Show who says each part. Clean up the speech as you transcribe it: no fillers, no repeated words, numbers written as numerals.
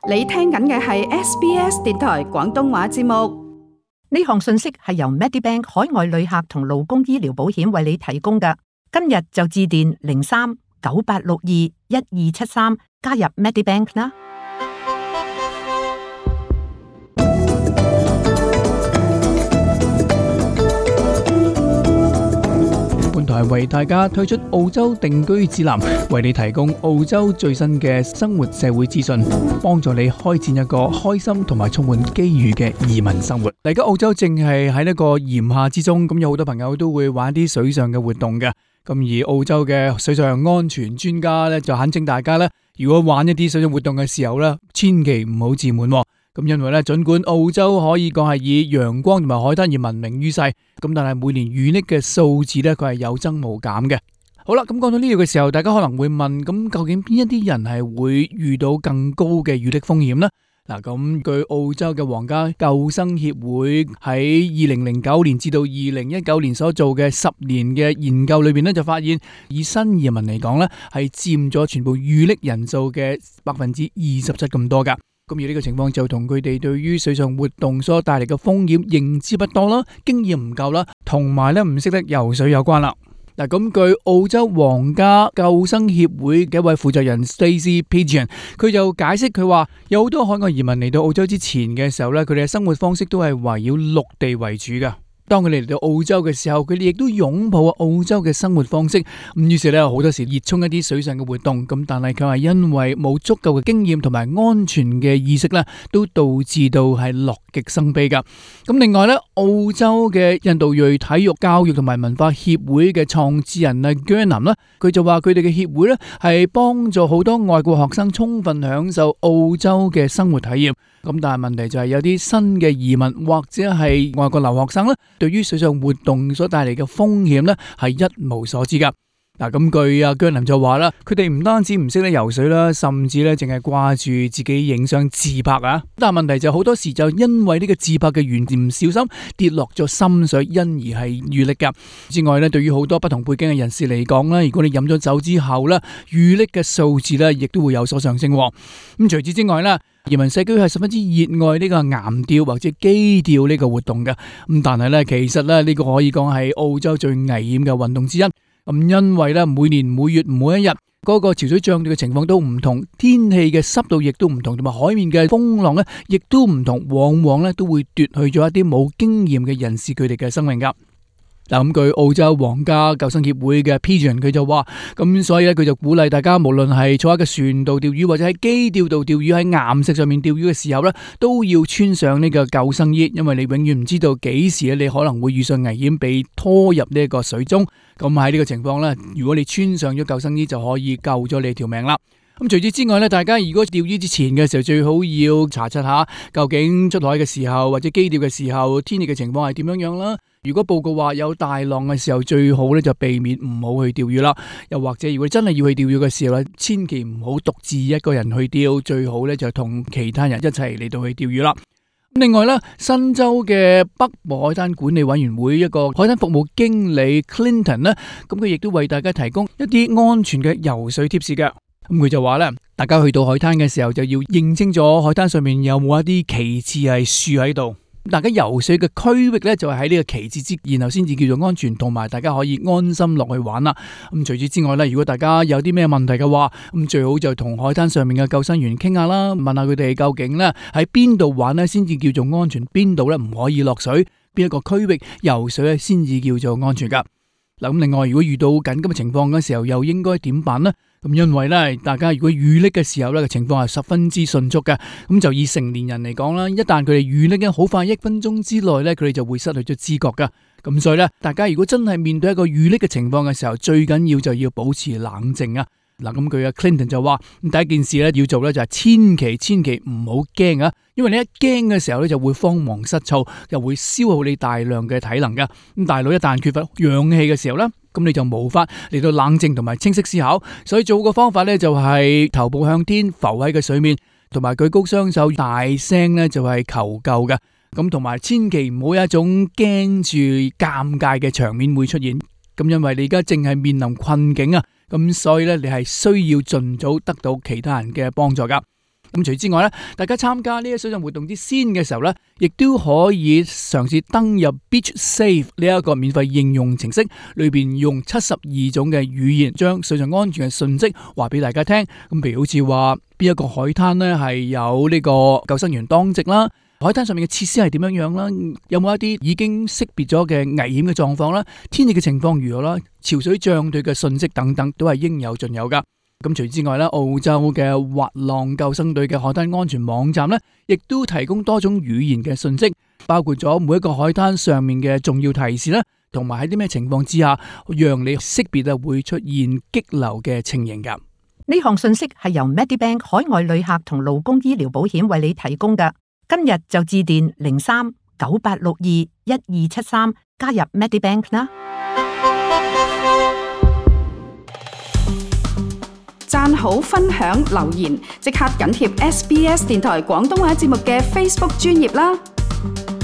Speaker 1: 你聽緊嘅係 SBS 電台廣東話節目。
Speaker 2: 呢項信息係由 Medibank 海外旅客同勞工醫療保險為你提供嘅。今日就致電03-9862-1273加入 Medibank 啦。
Speaker 3: 本台為大家推出澳洲定居指南，為你提供澳洲最新嘅生活社會資訊，幫助你開展一個開心同埋充滿機遇嘅移民生活。而家澳洲正係喺一個炎夏之中，咁有好多朋友都會玩啲水上嘅活動嘅。咁而澳洲嘅水上安全專家咧就懇請大家咧，如果玩一啲水上活動嘅時候咧，千祈唔好自滿。咁因為咧，盡管澳洲可以講係以陽光同埋海灘而聞名於世，咁但係每年遇溺嘅數字咧，佢係有增無減嘅。好啦，咁講到呢度嘅時候，大家可能會問，咁究竟邊一啲人係會遇到更高嘅遇溺風險呢？嗱，咁據澳洲嘅皇家救生協會喺2009年至到2019年所做嘅10年嘅研究裏邊咧，就發現以新移民嚟講咧，係佔咗全部遇溺人數嘅27%咁多噶。咁而呢個情況就同佢哋對於水上活動所帶嚟嘅風險認知不多啦，經驗唔夠啦，同埋咧唔識得游水有關啦。嗱，咁據澳洲皇家救生協會嘅一位負責人 Stacey Pigeon， 佢就解釋佢話，有好多海外移民嚟到澳洲之前嘅時候咧，佢哋嘅生活方式都係圍繞陸地為主噶。當佢哋嚟到澳洲嘅時候，佢哋亦都擁抱澳洲嘅生活方式。咁於是咧，好多時熱衷一啲水上嘅活動。咁但係佢係因為冇足夠嘅經驗同埋安全嘅意識咧，都導致到係樂極生悲噶。咁另外咧，澳洲嘅印度裔體育教育同埋文化協會嘅創始人啊 Gurnam 咧，佢就話佢哋嘅協會咧係幫助好多外國學生充分享受澳洲嘅生活體驗。咁但係問題就係有啲新嘅移民或者係外國留學生咧，對於水上活動所帶嚟嘅風險咧係一無所知噶。嗱，咁據阿姜林就話啦，佢哋唔單止唔識得游水啦，甚至咧淨係掛住自己影相自拍啊。但係問題就好多時就因為呢個自拍嘅緣故唔小心跌落咗深水，因而係遇溺噶。之外咧，對於好多不同背景嘅人士嚟講咧，如果你飲咗酒之後咧，遇溺嘅數字咧亦都會有所上升。咁除此之外咧，移民社區係十分之熱愛呢個岩釣或者基釣呢個活動嘅。咁但係咧，其實咧呢個可以講係澳洲最危險嘅運動之一。咁因為咧，每年每月每一日嗰個潮水漲退嘅情況都唔同，天氣嘅濕度亦都唔同，同埋海面嘅風浪咧亦都唔同，往往咧都會奪去咗一啲冇經驗嘅人士佢哋嘅生命噶。嗱，咁據澳洲皇家救生協會嘅 Pigeon 佢就話，咁所以咧佢就鼓勵大家，無論係坐喺個船度釣魚或者喺基釣度釣魚，喺岩石上面釣魚嘅時候咧，都要穿上呢個救生衣，因為你永遠唔知道幾時咧你可能會遇上危險，被拖入呢一個水中。咁喺呢個情況咧，如果你穿上咗救生衣，就可以救咗你條命啦。咁除此之外咧，大家如果釣魚之前嘅時候，最好要查察下究竟出海嘅時候或者基釣嘅時候，天氣嘅情況係點樣樣啦。如果報告話有大浪嘅時候，最好咧就避免唔好去釣魚啦。又或者如果真係要去釣魚嘅時候咧，千祈唔好獨自一個人去釣，最好咧就同其他人一齊嚟到去釣魚啦。另外咧，新州嘅北部海灘管理委員會一個海灘服務經理 Clinton 咧，咁佢亦都為大家提供一啲安全嘅游水貼士嘅。咁佢就話咧，大家去到海灘嘅時候就要認清楚海灘上面有冇一啲旗幟係豎喺度。大家游水嘅區域咧就係喺呢個旗幟之，然後先至叫做安全，同埋大家可以安心落去玩啦。咁除此之外咧，如果大家有啲咩問題嘅話，咁最好就同海灘上面嘅救生員傾下啦，問下佢哋究竟咧喺邊度玩咧先至叫做安全，邊度咧唔可以落水，邊一個區域游水咧先至叫做安全噶。嗱，咁另外如果遇到緊急嘅情況嘅時候，又應該點辦呢？咁因為咧，大家如果遇溺嘅時候咧，情況係十分之迅速嘅。咁就以成年人嚟講啦，一旦佢哋遇溺嘅好快1分鐘之內咧，佢哋就會失去咗知覺噶。咁所以咧，大家如果真係面對一個遇溺嘅情況嘅時候，最緊要就要保持冷靜啊。嗱，咁佢阿 Clinton 就話，第一件事咧要做咧就係千祈唔好驚啊，因為你一驚嘅時候咧就會慌忙失措，又會消耗你大量嘅體能噶。咁大腦一旦缺乏氧氣嘅時候咧，咁你就無法嚟到冷靜同埋清晰思考。所以做個方法咧就係頭部向天浮喺個水面，同埋舉高雙手大聲咧就係求救嘅。咁同埋千祈唔好有一種驚住尷尬嘅場面會出現。咁因為你而家正係面臨困境啊，咁所以咧你係需要盡早得到其他人嘅幫助噶。咁除此之外咧，大家參加呢一水上活動之先嘅時候咧，亦都可以嘗試登入 Beach Safe 呢一個免費應用程式，裏邊用72種嘅語言將水上安全嘅訊息話俾大家聽。咁譬如好似話邊一個海灘咧係有呢個救生員當值啦，海灘上面嘅設施係點樣樣啦，有冇一啲已經識別咗嘅危險嘅狀況啦，天氣嘅情況如何啦，潮水漲退嘅訊息等等，都係應有盡有噶。咁除此之外咧，澳洲嘅滑浪救生隊嘅海灘安全網站咧，亦都提供多種語言嘅信息，包括咗每一個海灘上面嘅重要提示啦，同埋喺啲咩情況之下，讓你識別會出現激流嘅情形噶。
Speaker 2: 呢項信息係由 Medibank 海外旅客同勞工醫療保險為你提供噶。今日就致電03-9862-1273加入 Medibank 啦。
Speaker 1: 讚好、分享、留言，即刻緊貼SBS 電台廣東話節目嘅 Facebook 專頁啦！